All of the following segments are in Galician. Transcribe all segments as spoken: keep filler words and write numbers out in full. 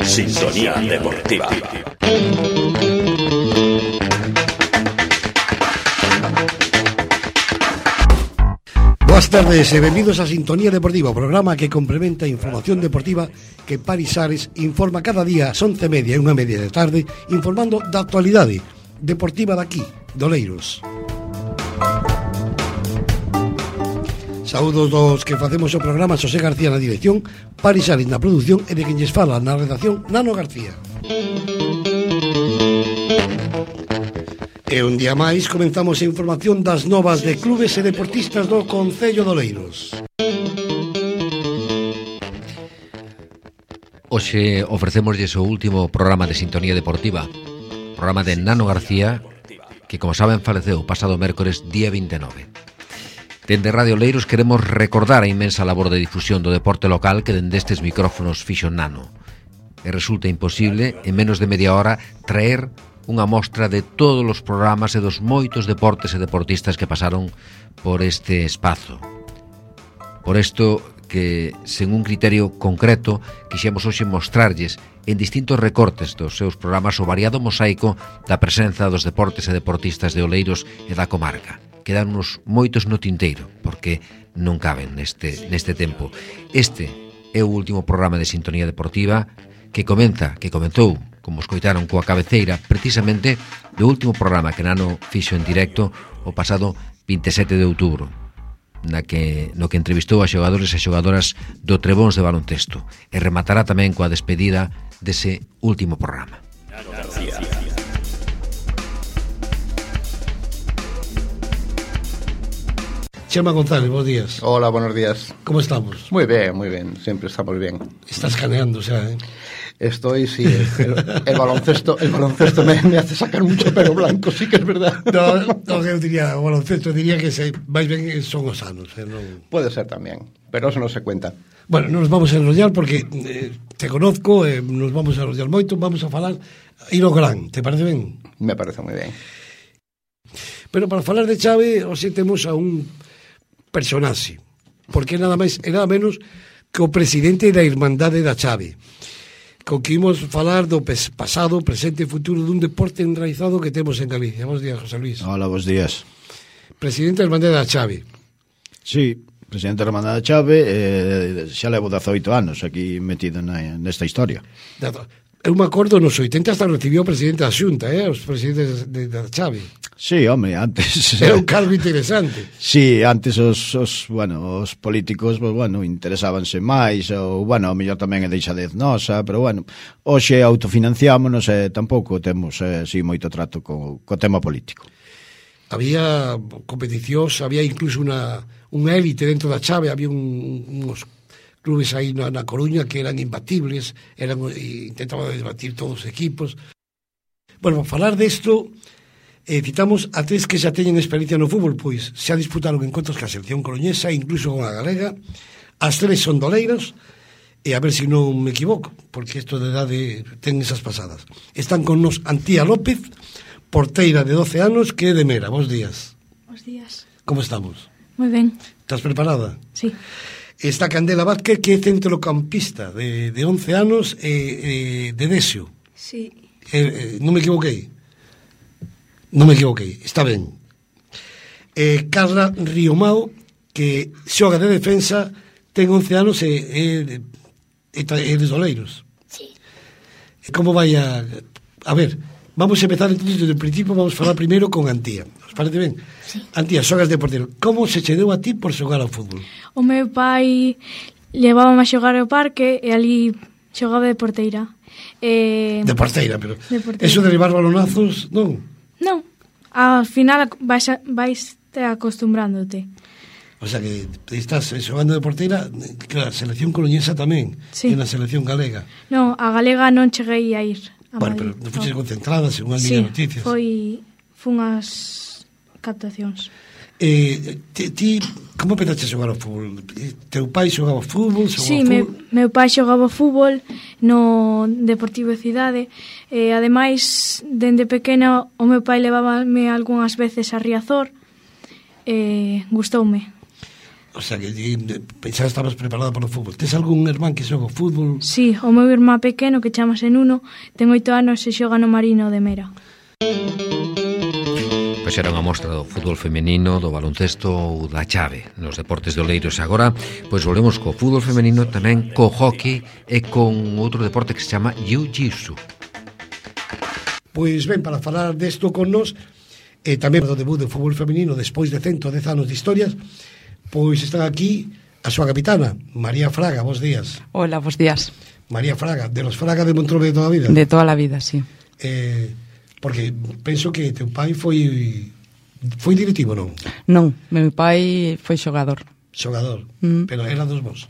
Sintonía Deportiva. Boas tardes e benvidos a Sintonía Deportiva, o programa que complementa a información deportiva que Paris Ares informa cada día ás once e media e unha media de tarde, informando da actualidade deportiva daqui, de Oleiros. Saúdos dos que facemos o programa, Xosé García na dirección, Paris Ares na produción e de quen lles fala na redacción, Nano García. E un día máis comenzamos a información das novas de clubes e deportistas do Concello de Oleiros. Hoxe ofrecémoslles o último programa de Sintonía Deportiva, programa de Nano García, que, como saben, faleceu o pasado mércores día vinte e nove. Dende Radio Oleiros queremos recordar a inmensa labor de difusión do deporte local que dende estes micrófonos fixo Nano. E resulta imposible, en menos de media hora, traer unha mostra de todos os programas e dos moitos deportes e deportistas que pasaron por este espazo. Por isto que, sen un criterio concreto, quixemos hoxe mostrarlles en distintos recortes dos seus programas o variado mosaico da presenza dos deportes e deportistas de Oleiros e da comarca. Quedan uns moitos no tinteiro, porque non caben neste, neste tempo. Este é o último programa de Sintonía Deportiva que comeza, que comezou, como escoitaron, coa cabeceira precisamente do último programa que Nano fixo en directo o pasado vinte e sete de outubro, na que, no que entrevistou a xogadores e xogadoras do Trebóns de baloncesto, e rematará tamén coa despedida dese último programa. Chema González, bons días. Hola, buenos días. ¿Cómo estamos? Muy bien, muy bien, siempre estamos bien. Estás caneando, o sea, ¿eh? Estoy, sí, el, el baloncesto el baloncesto me, me hace sacar mucho pelo blanco, sí que es verdad. No, no, eu diría, o baloncesto diría que se máis ben son os anos, eh, non... Puede ser tamén, pero eso no se cuenta. Bueno, nos vamos a enrollar porque eh, te conozco, eh, nos vamos a enrollar moito, vamos a falar e no gran, te parece ben? Me parece moi ben. Pero para falar de Chave, hoxe temos a un personaxe, porque nada máis e nada menos que o presidente da Irmandade da Chave, con que imos falar do pasado, presente e futuro dun deporte enraizado que temos en Galicia. Bos días, José Luis. Hola, bos días. Presidente da Irmandade da Chave. Sí, presidente da Irmandade da Chave, eh, xa levo dezoito anos aquí metido na, nesta historia. Eu me acordo nos oitenta hasta recibiu o presidente da Xunta, eh, os presidentes de, da Chave. Sí, home, antes... Era un cargo interesante. Sí, antes os, os, bueno, os políticos, pues, bueno, interesábanse máis, ou, bueno, o mellor tamén é deixadez nosa, pero, bueno, hoxe autofinanciámonos e tampouco temos, eh, sí, moito trato co, co tema político. Había competicións, había incluso unha, unha élite dentro da Chave, había un, uns clubes aí na, na Coruña que eran imbatibles, eran, intentaban debatir todos os equipos. Bueno, para falar desto... Eh, citamos a tres que xa teñen experiencia no fútbol, pois xa disputaron encontros ca selección coruñesa, incluso con a galega. As tres son doleiros, e a ver se si non me equivoco, porque isto de edade ten esas pasadas. Están con nos Antía López, porteira de doce anos, que é de Mera. Bos días. Bos días. Como estamos? Moi ben. Estás preparada? Sí. Está Candela Vázquez, que é centrocampista de, de once anos, e eh, de Desio. Sí. Eh, eh, non me equivoquei. Non me equivoquei, está ben. Eh, Carla Riomao, que xoga de defensa, ten once anos e é, é, é de Oleiros. Sí. Como vai a... A ver, vamos a empezar entonces desde o principio, vamos a falar primeiro con Antía. Os parece ben? Sí. Antía, xogas de portero. Como se che deu a ti por xogar ao fútbol? O meu pai levábame a xogar ao parque e ali xogaba de porteira. Eh, de porteira, pero... De porteira. Eso de ribar balonazos, non? Non, ao final vais, a, vais te acostumbrándote. O sea que estás xogando de porteira, claro, a selección coruñesa tamén, sí. E na selección galega. Non, a galega non cheguei a ir a bueno, Madrid. Pero non fuches concentrada, según as sí, miñas noticias. foi, foi unhas captacións. Eh, ti, ti, como empezaste a xogar ao fútbol? Teu pai xogaba ao fútbol? Xogaba Sí, ao meu, fútbol? meu pai xogaba fútbol no Deportivo Cidade e ademais, dende pequena o meu pai levábame algunhas veces a Riazor e gustoume. O sea, que pensaba que estabas preparada para o fútbol. Tes algún irmán que xoga fútbol? Sí, o meu irmán pequeno, que chamase Nuno, ten oito anos e xoga no Marino de Mera. Pois era unha mostra do fútbol femenino, do baloncesto ou da chave nos deportes de Oleiros. Agora, pois volvemos co fútbol femenino, tamén co hockey e con outro deporte que se chama jiu-jitsu. Pois ben, para falar desto con nos, e tamén do debut do fútbol femenino despois de ciento dez anos de historias, pois están aquí a súa capitana, María Fraga. Bos días. Hola, bos días. María Fraga, de los Fraga de Montrove de toda a vida. De toda a vida, sí. Eh, porque penso que teu pai foi foi directivo, non? Non, meu pai foi xogador. Xogador, Mm. pero era dos vos.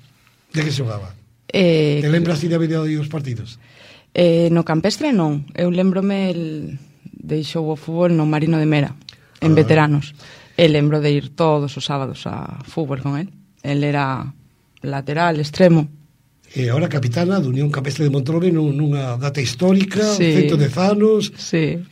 De que xogaba? Eh, Te lembras de haber ido os partidos? eh, no campestre non. Eu lembrome el deixou o fútbol no Marino de Mera, en Ah. veteranos. E lembro de ir todos os sábados a fútbol con él. El era lateral, extremo. E agora capitana do Unión Campestre de Montrove nunha data histórica, Sí. ciento dez anos. Sí.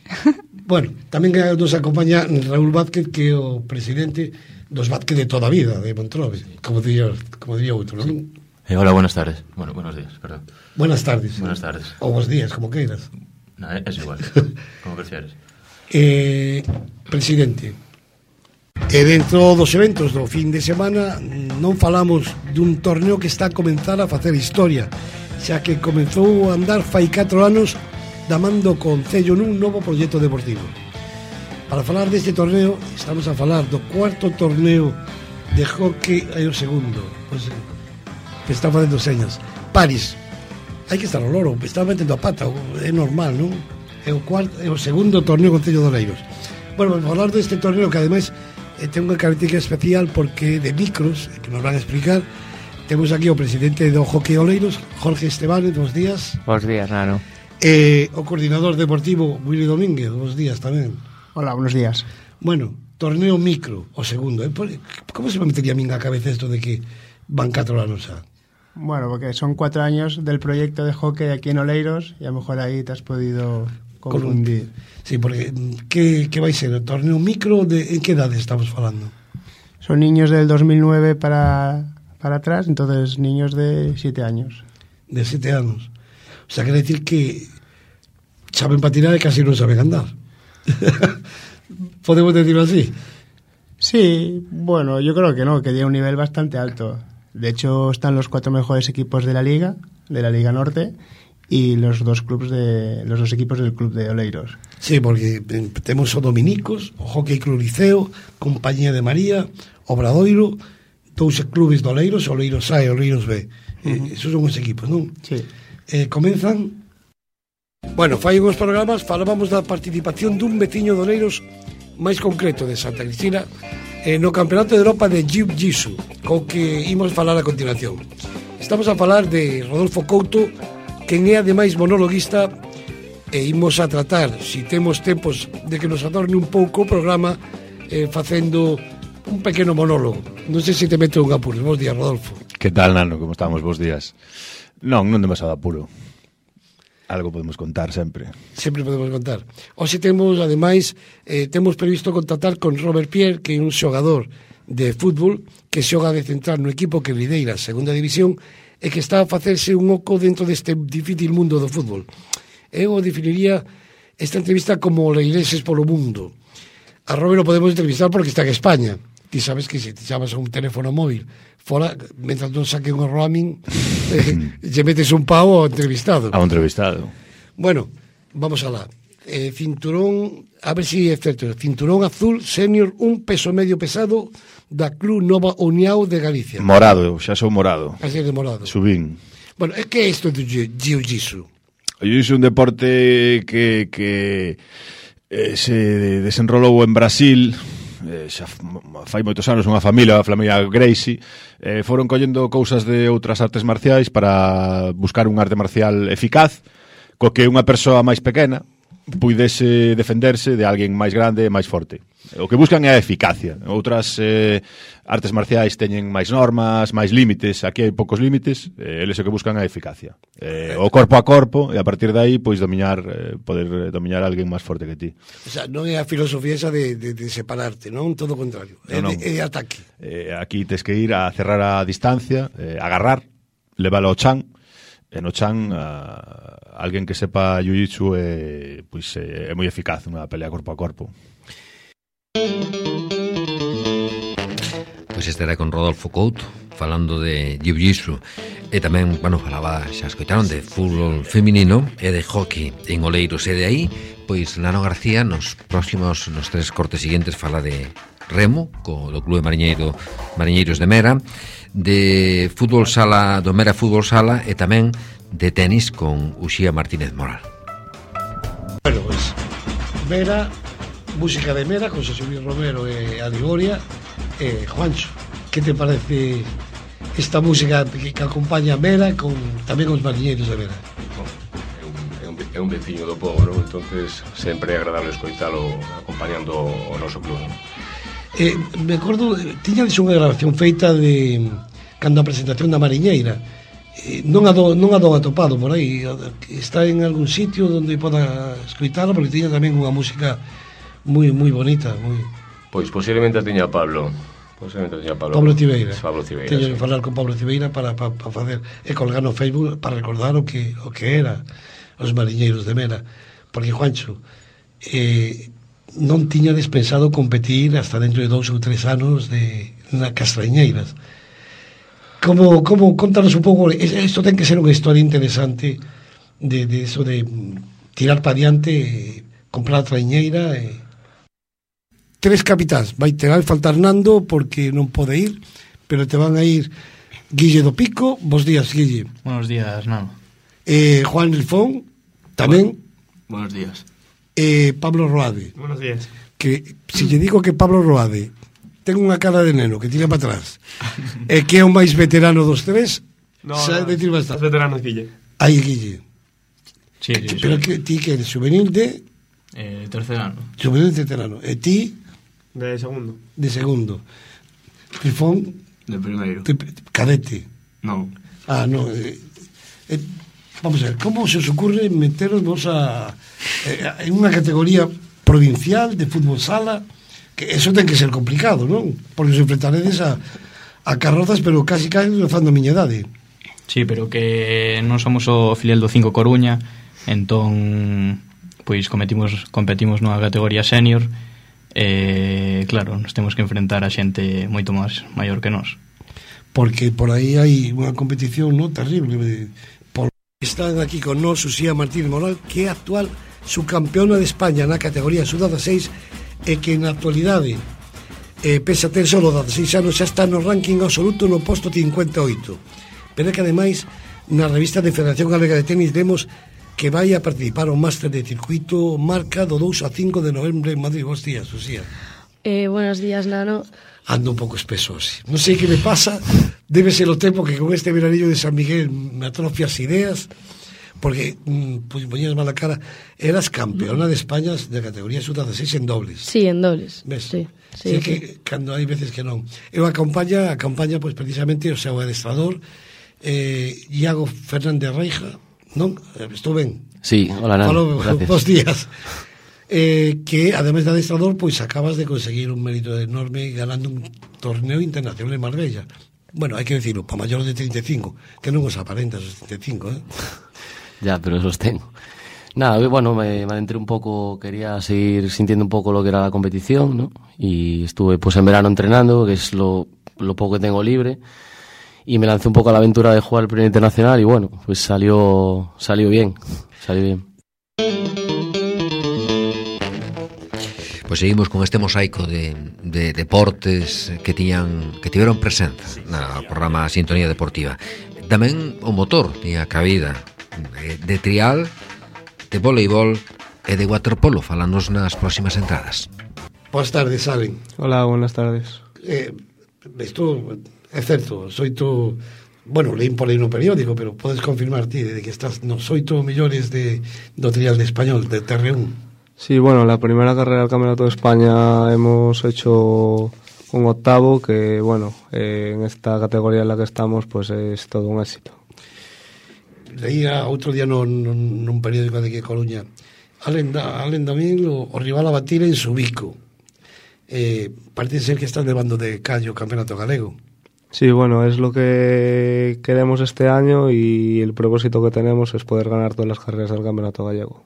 Bueno, tamén nos acompaña Raúl Vázquez, que é o presidente dos Vázquez de toda a vida de Montrove, como diría, como diría outro, non? Eh, hola, buenas tardes. Bueno, buenos días, perdón. Buenas tardes. Buenas tardes. Ou bons días, como queiras. No, es igual, como prefieres. Eh, presidente, e dentro dos eventos do fin de semana non falamos dun torneo que está a comenzar a facer historia, xa que comezou a andar fai catro anos da man do Concello nun novo proxecto deportivo. Para falar deste torneo, estamos a falar do cuarto torneo de hockey e o segundo, pois, que está facendo señas. París, hai que estar ao loro, está metendo a pata, é normal, non? É o cuarto, é o segundo torneo Concello de Oleiros. Bueno, vamos a falar deste torneo que ademais eh, ten unha característica especial porque de micros, que nos van a explicar. Temos aquí o presidente do Hockey Oleiros, Jorge Estebanes, bons días. Bos días, Nano. E o coordinador deportivo, Willy Domínguez, bons días tamén. Hola, buenos días. Bueno, torneo micro, o segundo. Eh? Como se me metería a min a cabeza esto de que van catro anos xa? Bueno, porque son cuatro años del proyecto de hockey aquí en Oleiros y a lo mejor ahí te has podido confundir. Sí, porque que, que vai ser? O torneo micro, de, en que edade estamos falando? Son niños del dos mil nueve para, para atrás, entonces niños de siete años. De siete anos. O sea, quer decir que saben patinar e casi non saben andar. ¿Podemos decirlo así? Sí, bueno, yo creo que no, que tiene un nivel bastante alto. De hecho, están los cuatro mejores equipos de la Liga, de la Liga Norte, y los dos clubes de los dos equipos del club de Oleiros. Sí, porque temos o Dominicos, o Hockey Club Liceo, Compañía de María, Obradoiro, dous clubes de Oleiros, Oleiros A e Oleiros B. Uh-huh. eh, esos son os equipos, non? Sí. Eh, comenzan... Bueno, fai uns programas, falábamos da participación dun veciño de Oleiros máis concreto de Santa Cristina eh, no Campeonato de Europa de Jiu-Jitsu, co que imos falar a continuación. Estamos a falar de Rodolfo Couto, quen é ademais monologuista, e imos a tratar, si temos tempos de que nos adorne un pouco o programa, eh, facendo un pequeno monólogo. Non sei se te meto un apuro. Bos días, Rodolfo. Que tal, Nano? Como estamos? Bos días. Non, non demasiado apuro. Algo podemos contar sempre. Sempre podemos contar. Hoxe temos, ademais, eh, temos previsto contactar con Robert Pierre, que é un xogador de fútbol que xoga de central no equipo que lideira a segunda división e que está a facerse un oco dentro deste difícil mundo do fútbol. Eu definiría esta entrevista como Oleireses polo mundo. A Robert o podemos entrevistar porque está en España. Ti sabes que se te chamas a un teléfono móvil fora, mentras non saque un roaming, eh, lle metes un pavo ao entrevistado. A un entrevistado. Bueno, vamos alá. Eh, cinturón, a ver si é certo, cinturón azul senior, un peso medio pesado da Club Nova União de Galicia. Morado, xa sou morado. Así de morado. Subín. Bueno, que é isto do jiu-jitsu? O jiu-jitsu é un deporte que, que eh, se desenrolou en Brasil, eh, xa fai moitos anos, unha familia, a familia Gracie, eh, foron collendo cousas de outras artes marciais para buscar un arte marcial eficaz, co que unha persoa máis pequena puidese defenderse de alguén máis grande e máis forte. O que buscan é a eficacia. Outras eh, artes marciais teñen máis normas, máis límites. Aquí hai poucos límites, eh, eles o que buscan é a eficacia. Eh, o corpo a corpo, e a partir de aí, pois, dominar, eh, poder dominar a alguén máis forte que ti. O sea, non é a filosofía esa de, de, de separarte, non? Todo o contrario. É, No, no. de, é de ataque. Eh, aquí tes que ir a cerrar a distancia, eh, agarrar, leválo ao chan, e no chan a, alguén que sepa jiu-jitsu é, pois, é, é moi eficaz unha pelea corpo a corpo. Pois estará con Rodolfo Couto falando de jiu-jitsu e tamén, bueno, falaba, xa escoitaron, de fútbol feminino e de hockey en Oleiros, e de aí pois Nano García nos próximos, nos tres cortes seguintes fala de remo co do Clube Mariñeiro, Mariñeiros de Mera, de fútbol sala, do Mera Fútbol Sala, e tamén de tenis con Uxía Martínez Moral. Bueno, pues Mera, música de Mera con José Luis Romero e Aligoria. Eh, Juancho, que te parece esta música que, que acompaña a Mera con tamén os mariñeiros de Mera? É un, é un, é un veciño do povo, non? Entonces sempre é agradable escoitalo acompañando o noso club, non? Eh, me acordo, tiñades unha grabación feita de cando a presentación da Mariñeira. Eh, non a do, non a do atopado por aí, está en algún sitio onde poda escoitalo, porque tiña tamén unha música moi moi bonita, moi. Pois posiblemente a tiña Pablo. Posiblemente a tiña Pablo. Pablo Cibeira. Pablo Cibeira. Teño Sí. que falar con Pablo Cibeira para, para, para facer e colgar no Facebook para recordar o que o que era os mariñeiros de Mera, porque Juancho, eh, non tiñades pensado competir hasta dentro de dous ou tres anos de na Castrañeiras. Como, como, contanos un pouco, isto ten que ser unha historia interesante de, de eso de tirar para diante, eh, comprar a traiñeira e... Tres capitáns, vai ter a faltar Nando porque non pode ir, pero te van a ir Guille do Pico. Bos días, Guille. Buenos días, Nano. eh, Juan Rifón tamén. Buenos días. eh, Pablo Roade, Buenos días. que se lle digo que Pablo Roade ten unha cara de neno que tira para atrás e que é o máis veterano dos tres, No, xa no, decir bastante. es veterano Guille. Aí Guille. Sí, sí, Pero sí. que ti que eres juvenil de Eh, tercer ano. juvenil de veterano e ti De segundo. de segundo. Rifón De primeiro. de cadete. No. Ah, no. Eh, eh, vamos a ver, ¿cómo se os ocurre meteros vos a, eh, en unha categoría provincial de fútbol sala? Que eso ten que ser complicado, non? Porque os enfrentaredes a, a carrozas, pero casi casi rozando a miña idade. Sí, pero que non somos o filial do cinco Coruña, entón pois cometimos, competimos nunha categoría senior e claro, nos temos que enfrentar a xente moito máis maior que nós. Porque por aí hai unha competición, no, terrible. De, por... Están aquí con nós Uxía Martínez Moral, que é actual subcampeona de España na categoría sub dieciséis e que na actualidade eh, pese a ter solo dieciséis anos xa está no ranking absoluto no posto cincuenta e oito, pero é que ademais na revista de Federación Galega de Tenis vemos que vai a participar ao máster de circuito Marca do dous a cinco de novembro en Madrid. Bos días, Uxía. Eh, buenos días, Nano. Ando un pouco espeso, sí. Non sei que me pasa, debe ser o tempo que con este veranillo de San Miguel me atrofia as ideas, porque, mm, pues, poñías mala cara, eras campeona de España de categoría sub dieciséis en dobles. Sí, en dobles. Ves? Sí, Sí, sí, que sí. cando hai veces que non. Eu acompaña, acompaña pues, precisamente o seu adestrador, eh, Iago Fernández Reija, non? Estou ben? Sí, hola, Nano. Falo, Gracias. bos días. Eh, que además de adestrador, pois pues, acabas de conseguir un mérito enorme ganando un torneo internacional en Marbella. Bueno, hai que decirlo, para maiores de treinta e cinco, que non os aparentas os treinta e cinco, eh? Ya, pero los tengo. Nada, bueno, me, me adentré un poco, quería seguir sintiendo un poco lo que era la competición, ¿no? Y estuve pues en verano entrenando, que es lo, lo poco que tengo libre, y me lancé un poco a la aventura de jugar el primer internacional y bueno, pues salió, salió bien, salió bien. Pois seguimos con este mosaico de, de deportes que tiñan que tiveron presenza na programa Sintonía Deportiva. Tamén o motor tiña cabida de, de trial, de voleibol e de waterpolo. Falanos nas próximas entradas. Boas tardes, Salen. Hola, buenas tardes. Eh, isto é certo, soito, bueno, leín por aí no periódico, pero podes confirmar ti de que estás nos oito millores de, do trial de español, de T R un. Sí, bueno, la primera carrera del Campeonato de España hemos hecho un octavo que, bueno, eh, en esta categoría en la que estamos, pues es todo un éxito. Leía outro día no, no, nun periódico de aquí de Coruña, Alen, da, Alen tamén o, o rival a batir en Subico. Eh, parece ser que están levando de callo o Campeonato Galego. Sí, bueno, es lo que queremos este año y el propósito que tenemos es poder ganar todas las carreras del Campeonato Gallego.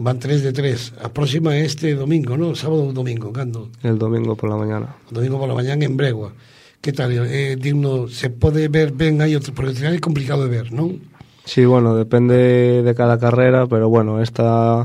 Van tres de tres. A próxima é este domingo, ¿no? Sábado ou domingo, cando? El domingo por la mañana. Domingo por la mañana en Bregua. Que tal? Eh, digno, se pode ver ben aí outro, porque é complicado de ver, non? Sí, bueno, depende de cada carrera, pero bueno, esta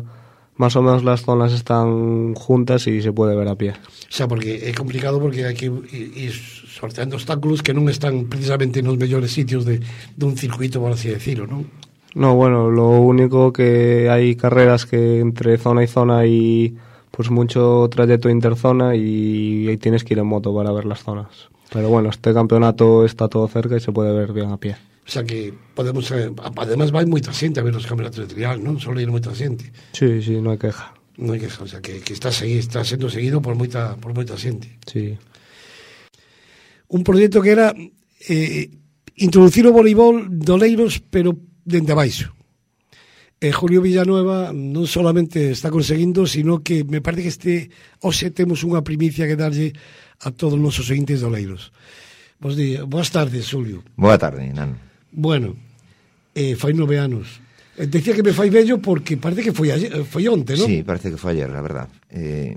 más o menos las zonas están juntas y se puede ver a pie. O sea, porque é complicado porque hai que ir sorteando obstáculos que non están precisamente nos mellores sitios de, de un circuito, por así decirlo, non? No, bueno, lo único que hay carreras que entre zona y zona hay pues mucho trayecto interzona y ahí tienes que ir en moto para ver las zonas. Pero bueno, este campeonato está todo cerca y se puede ver bien a pie. O sea que podemos, eh, además vai moita xente a ver os campeonatos de trial, non? Solo ir moita xente. Sí, sí, no hai queja. Non hai queja, o sea que, que está, segui, está sendo seguido por moita, por moita xente. Sí. Un proxecto que era eh, introducir o voleibol do Oleiros, pero dende abaixo. Eh, Julio Villanueva non solamente está conseguindo, sino que me parece que este hoxe temos unha primicia que darlle a todos os nosos ointes de Oleiros. Bos días, boas tardes, Julio. Boa tarde, Nano. Bueno, eh, fai nove anos. Eh, decía que me fai vello porque parece que foi ayer, foi onte, ¿no? Sí, parece que foi ayer, la verdad. Eh,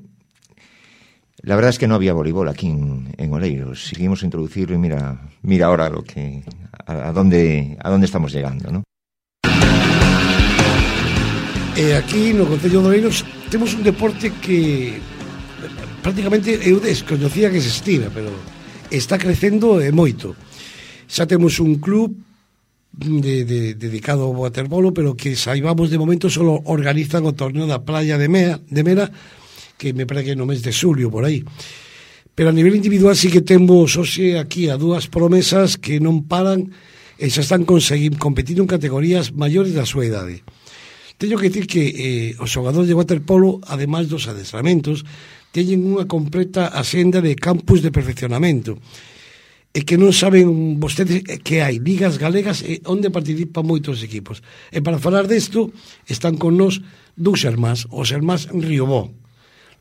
la verdad es que no había voleibol aquí en, en Oleiros. Seguimos a introducirlo y mira, mira ahora lo que a, a dónde a dónde estamos llegando, ¿no? Eh, aquí no Concello de Oleiros temos un deporte que prácticamente eu desconocía que existira, pero está crecendo e moito. Xa temos un club de, de, dedicado ao waterpolo, pero que saibamos de momento solo organizan o torneo da playa de Mea, de Mera, que me parece que no mes de xulio por aí. Pero a nivel individual sí que temos hoxe aquí a dúas promesas que non paran e xa están conseguindo competindo en categorías maiores da súa idade. Teño que dicir que eh, os xogadores de waterpolo, ademais dos adestramentos, teñen unha completa axenda de campus de perfeccionamento e que non saben vostedes que hai ligas galegas e onde participan moitos equipos. E para falar desto están con nos dous irmáns, os irmáns Riobó,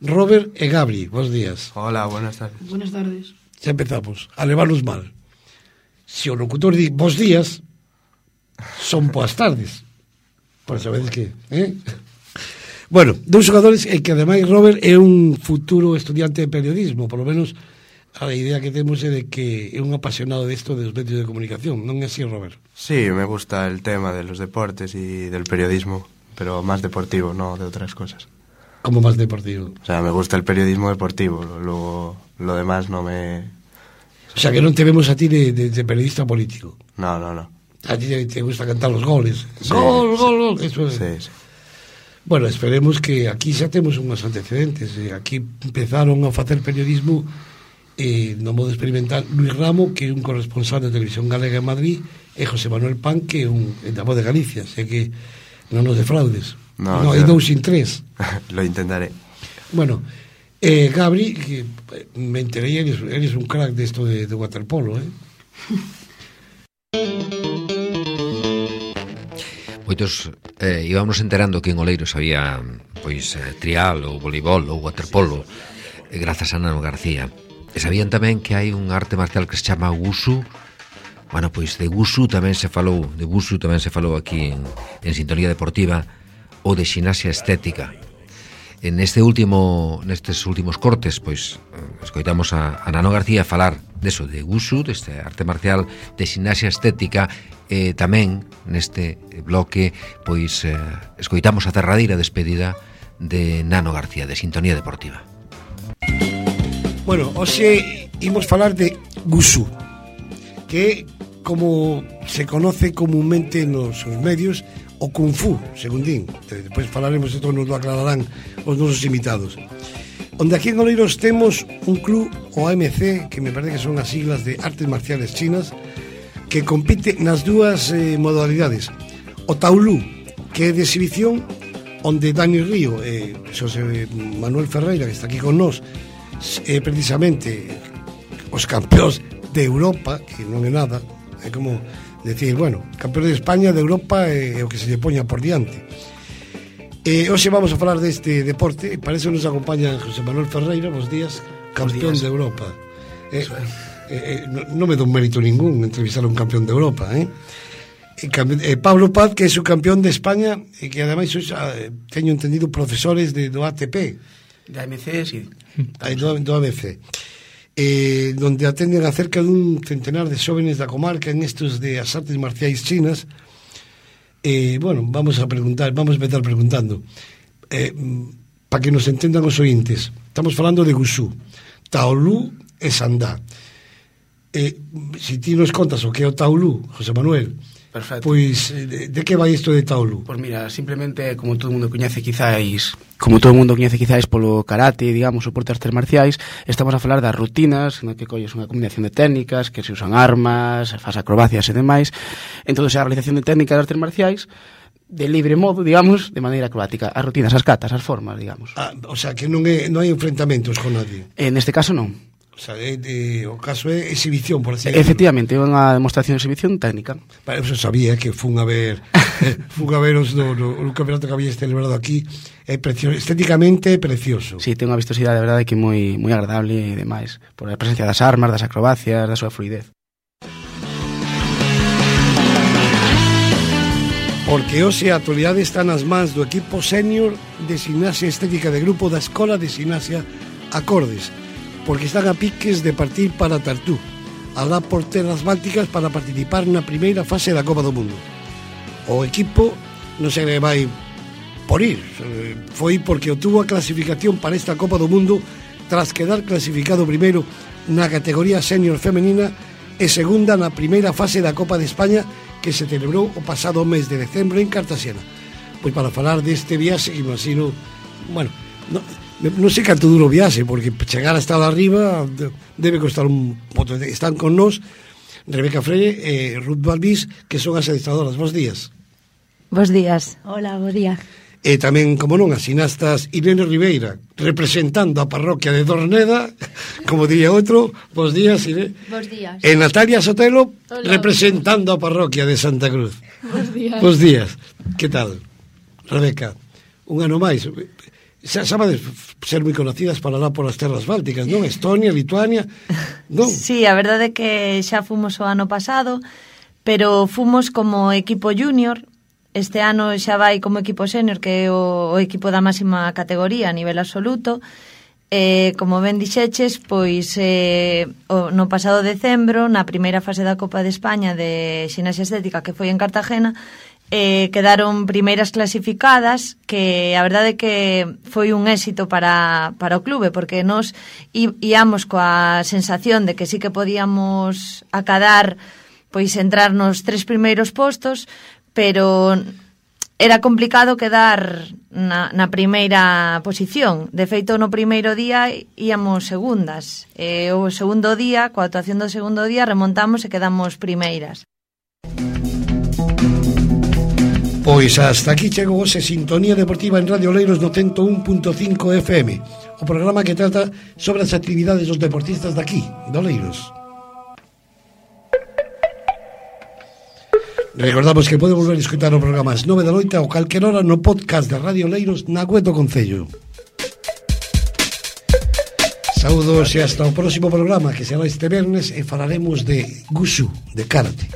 Robert e Gabri. Bos días. Hola, buenas tardes. Buenas tardes. Xa empezamos a levarnos mal. Se o locutor di bos días, son boas tardes. Por sabedes que, eh? Bueno, dous xogadores e que ademais Robert é un futuro estudiante de periodismo, por lo menos a idea que temos é de que é un apasionado desto de dos medios de comunicación, non é así, Robert? Sí, me gusta el tema de los deportes y del periodismo, pero más deportivo, no de otras cosas. ¿Cómo más deportivo? O sea, me gusta el periodismo deportivo, luego lo demás no me... O sea, que non te vemos a ti de, de, de periodista político. No, no, no. A ti te, te gusta cantar los goles. Sí, gol, sí, gol, gol. Eso es. Sí, sí. Bueno, esperemos que aquí xa temos unhos antecedentes. Aquí empezaron a facer periodismo eh, no modo experimental Luis Ramo, que é un corresponsal de Televisión Galega en Madrid, e José Manuel Pan, que é un da Voz de Galicia. Sé que non nos defraudes. No, no, hai dous sin tres. Lo intentaré. Bueno, eh, Gabri, que me enteré, eres, eres un crack de esto de, de waterpolo, eh? Moitos eh, íbamos enterando que en Oleiros había pois eh, trial ou voleibol ou waterpolo, eh, grazas a Nano García. E sabían tamén que hai un arte marcial que se chama Wushu. Bueno, pois de Wushu tamén se falou, de Wushu tamén se falou aquí en, en Sintonía Deportiva, ou de ximnasia estética. En este último, nestes últimos cortes, pois escoitamos a, a Nano García falar deso, de Wushu, deste arte marcial de ximnasia estética, e tamén neste bloque pois eh, escoitamos a derradeira despedida de Nano García de Sintonía Deportiva. Bueno, hoxe imos falar de Wushu, que como se conoce comúnmente nos medios o Kung Fu, según din. Depois falaremos, isto nos lo aclararán os nosos invitados. Onde aquí en Oleiros temos un club, o A M C, que me parece que son as siglas de Artes Marciales Chinas, que compite nas dúas eh, modalidades. O Taolú, que é de exhibición, onde Dani Río e Xosé Manuel Ferreira, que está aquí con nós, é precisamente os campeóns de Europa, que non é nada, é como decir, bueno, campeón de España, de Europa é o que se lle poña por diante. E hoxe vamos a falar deste deporte, para eso nos acompaña José Manuel Ferreira, bos días, campeón de Europa. Eh, eh, non no me dou mérito ningún entrevistar a un campeón de Europa, eh? E, eh, Pablo Paz, que é o campeón de España e que ademais eh, teño entendido profesores de, do A T P, de A M C, sí, Aí, do, do A M C, eh, donde atenden a cerca dun centenar de xóvenes da comarca en estos de as artes marciais chinas. Eh, bueno, vamos a preguntar, vamos a empezar preguntando, eh, para que nos entendan os ointes. Estamos falando de Wushu, Taolu e Sandá. Eh, si ti nos contas o que é o Taolu, José Manuel, perfecto. Pois, de, de que vai isto de Taolu? Pois mira, simplemente, como todo o mundo coñece quizáis, como todo o mundo coñece quizáis polo karate, digamos, o porte artes marciais, estamos a falar das rutinas, no que colles unha combinación de técnicas, que se usan armas, faz acrobacias e demais. Entón, a realización de técnicas de artes marciais de libre modo, digamos, de maneira acrobática. As rutinas, as catas, as formas, digamos. Ah, o sea, que non, é, non hai enfrentamentos con nadie. En este caso, non. O sea, é de, o caso é exhibición, por así decirlo. Efectivamente, é unha demostración de exhibición técnica. Para eso sabía que fun a ver eh, fun a ver os no, no, no campeonato que había celebrado aquí. É precioso, estéticamente é precioso. Sí, ten unha vistosidade, de verdade, que moi moi agradable e demais, por a presencia das armas, das acrobacias, da súa fluidez. Porque hoxe a actualidade está nas mans do equipo senior de gimnasia estética de grupo da Escola de Gimnasia Acordes, porque están a piques de partir para Tartú, alá por terras bálticas, para participar na primeira fase da Copa do Mundo. O equipo non se vai por ir, foi porque obtuvo a clasificación para esta Copa do Mundo tras quedar clasificado primeiro na categoría senior femenina e segunda na primeira fase da Copa de España, que se celebrou o pasado mes de decembro en Cartagena. Pois para falar deste viaxe, que imagino, bueno, no, non sei canto duro viaxe, porque chegar hasta lá arriba debe costar un poto. Están con nós Rebeca Freire e Ruth Balbís, que son as adestradoras. Bos días. Bos días. Hola, bo día. E tamén, como non, as xinastas Irene Ribeira, representando a parroquia de Dorneda, como diría outro. Bos días, Irene. Bos días. E Natalia Sotelo, Hola. Representando a parroquia de Santa Cruz. Bos días. Bos días. Que tal, Rebeca? Un ano máis. Xa sabades ser moi conocidas para lá por as terras bálticas, non? Estonia, Lituania, non? Sí, a verdade é que xa fomos o ano pasado, pero fomos como equipo junior. Este ano xa vai como equipo senior, que é o, o equipo da máxima categoría a nivel absoluto. Eh, como ben dixeches, pois eh, o, no pasado decembro, na primeira fase da Copa de España de Ximnasia Estética, que foi en Cartagena, eh, quedaron primeiras clasificadas, que a verdade é que foi un éxito para, para o clube, porque nos íamos coa sensación de que sí que podíamos acadar, pois entrar nos tres primeiros postos, pero era complicado quedar na, na primeira posición. De feito, no primeiro día íamos segundas. E o segundo día, coa actuación do segundo día, remontamos e quedamos primeiras. Pois hasta aquí chegou hoxe Sintonía Deportiva en Radio Oleiros no cento un punto cinco F M, o programa que trata sobre as actividades dos deportistas daqui, de Oleiros. Recordamos que pode volver a escutar o programa ás nove da noite ou calquer hora no podcast de Radio Oleiros na web do Concello. Saúdos e hasta o próximo programa, que será este viernes, e falaremos de Wushu, de karate.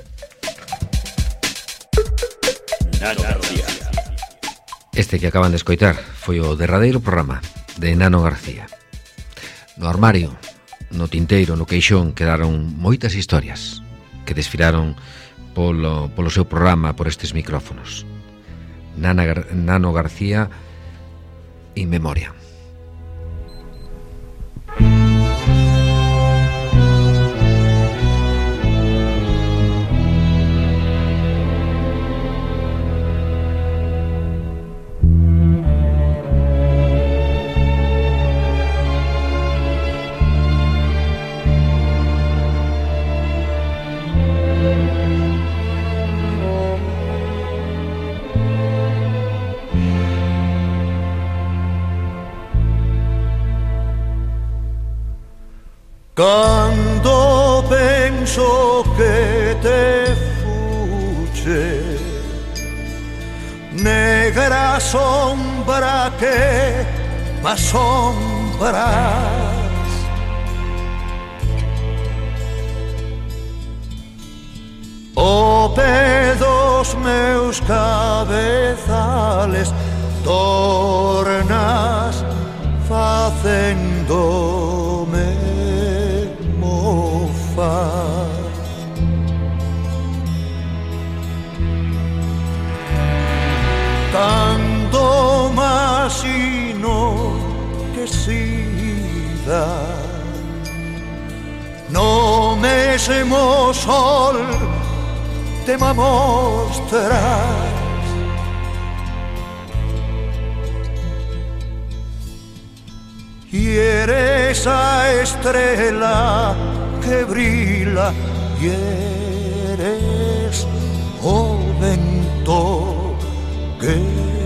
Este que acaban de escoitar foi o derradeiro programa de Nano García. No armario, no tinteiro, no queixón, quedaron moitas historias que desfilaron polo, polo seu programa, por estes micrófonos. Nana, Nano García, In Memoria. penso che te fugge, negra sombra che m'assombras. O pé dos meus cabezales tornas facéndome mofar. Cando masino que sida no mesmo sol te me mostras. Y eres a estrella que brilla y eres o vento que